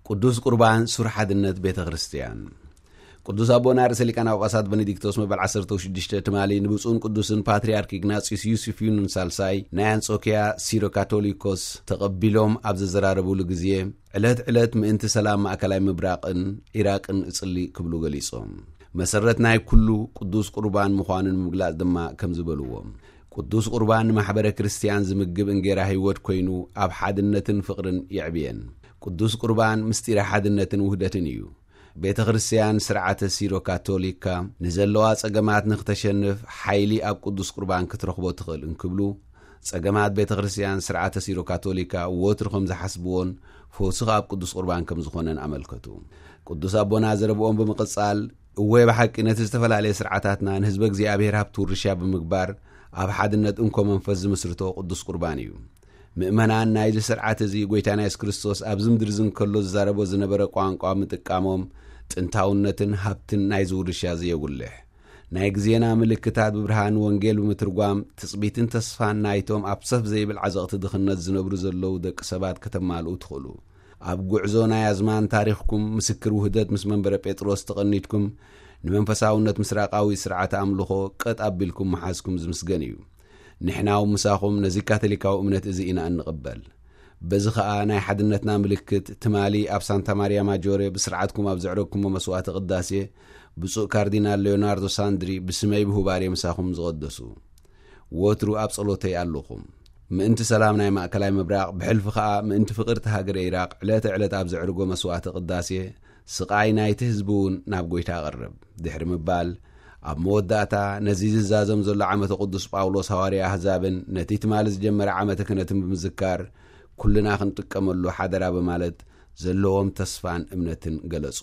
ቅዱስ ቁርባን ሱር ሓድነት ቤተ ክርስቲያን። ቅዱስ ኣቦና ርእሰ ሊቃነ ጳጳሳት ቤኔዲክቶስ መበል ዓሰርተ ሽዱሽተ ትማሊ ንብፁዕን ቅዱስን ፓትርያርክ ኢግናጺዩስ ዩስፍዩንን ሳልሳይ ናይ ኣንጾኪያ ሲሮ ካቶሊኮስ ተቐቢሎም ኣብ ዘዘራረቡሉ ግዜ፣ ዕለት ዕለት ምእንቲ ሰላም ማእከላይ ምብራቕን ኢራቅን እጽሊ ክብሉ ገሊጾም። መሰረት ናይ ኩሉ ቅዱስ ቁርባን ምዃኑን ምግላጽ ድማ ከም ዝበልዎም፣ ቅዱስ ቁርባን ንማሕበረ ክርስቲያን ዝምግብ እንጌራ ህይወት ኮይኑ ኣብ ሓድነትን ፍቕርን የዕብየን። ቅዱስ ቁርባን ምስጢረ ሓድነትን ውህደትን እዩ። ቤተ ክርስቲያን ስርዓተ ሲሮ ካቶሊካ ንዘለዋ ጸገማት ንክተሸንፍ ሓይሊ ኣብ ቅዱስ ቁርባን ክትረኽቦ ትኽእል እንክብሉ፣ ጸገማት ቤተ ክርስቲያን ስርዓተ ሲሮ ካቶሊካ ወትሩ ከም ዝሓስብዎን ፈውሲ ኣብ ቅዱስ ቁርባን ከም ዝኾነን ኣመልከቱ። ቅዱስ ኣቦና ዘረብኦም ብምቕጻል፣ እወ ብሓቂ ነቲ ዝተፈላለየ ስርዓታትና ንህዝበ እግዚኣብሔር ሃብቲ ውርሻ ብምግባር ኣብ ሓድነት እንኮ መንፈስ ዝምስርቶ ቅዱስ ቁርባን እዩ። ምእመናን ናይዚ ስርዓት እዚ ጎይታና የሱስ ክርስቶስ ኣብዚ ምድሪ እዚ እንከሎ ዝዛረቦ ዝነበረ ቋንቋ ምጥቃሞም ጥንታውነትን ሃብትን ናይዚ ውርሻ እዚ የጉልሕ። ናይ ግዜና ምልክታት ብብርሃን ወንጌል ብምትርጓም ትጽቢትን ተስፋን ናይቶም ኣብ ሰፍ ዘይብል ዓዘቕቲ ድኽነት ዝነብሩ ዘለዉ ደቂ ሰባት ከተማልኡ ትኽእሉ። ኣብ ጉዕዞ ናይ ኣዝማን ታሪኽኩም ምስክር ውህደት ምስ መንበረ ጴጥሮስ ተቐኒትኩም ንመንፈሳውነት ምስራቃዊ ስርዓተ ኣምልኾ ቀጥ ኣቢልኩም ምሓዝኩም ዝምስገን እዩ። ንሕና እውን ምሳኹም ነዚ ካቶሊካዊ እምነት እዚ ኢና እንቕበል። በዚ ኸኣ ናይ ሓድነትና ምልክት ትማሊ ኣብ ሳንታ ማርያ ማጆሬ ብስርዓትኩም ኣብ ዘዕረግኩሞ መስዋዕተ ቅዳሴ ብፁዕ ካርዲናል ሌዮናርዶ ሳንድሪ ብስመይ ብሁባሬ ምሳኹም ዝቐደሱ። ወትሩ ኣብ ጸሎተይ ኣለኹም። ምእንቲ ሰላም ናይ ማእከላይ ምብራቕ፣ ብሕልፊ ኸኣ ምእንቲ ፍቕርቲ ሃገረ ኢራቕ ዕለተ ዕለት ኣብ ዘዕርጎ መስዋዕተ ቅዳሴ፣ ስቓይ ናይቲ ህዝቢ እውን ናብ ጎይታ ኣቕርብ ድሕሪ ምባል፣ ኣብ መወዳእታ ነዚ ዝዛዘም ዘሎ ዓመተ ቅዱስ ጳውሎስ ሃዋርያ ኣህዛብን ነቲ ትማሊ ዝጀመረ ዓመተ ክህነትን ብምዝካር፣ ኩልና ክንጥቀመሉ ሓደራ በማለት ዘለዎም ተስፋን እምነትን ገለጹ።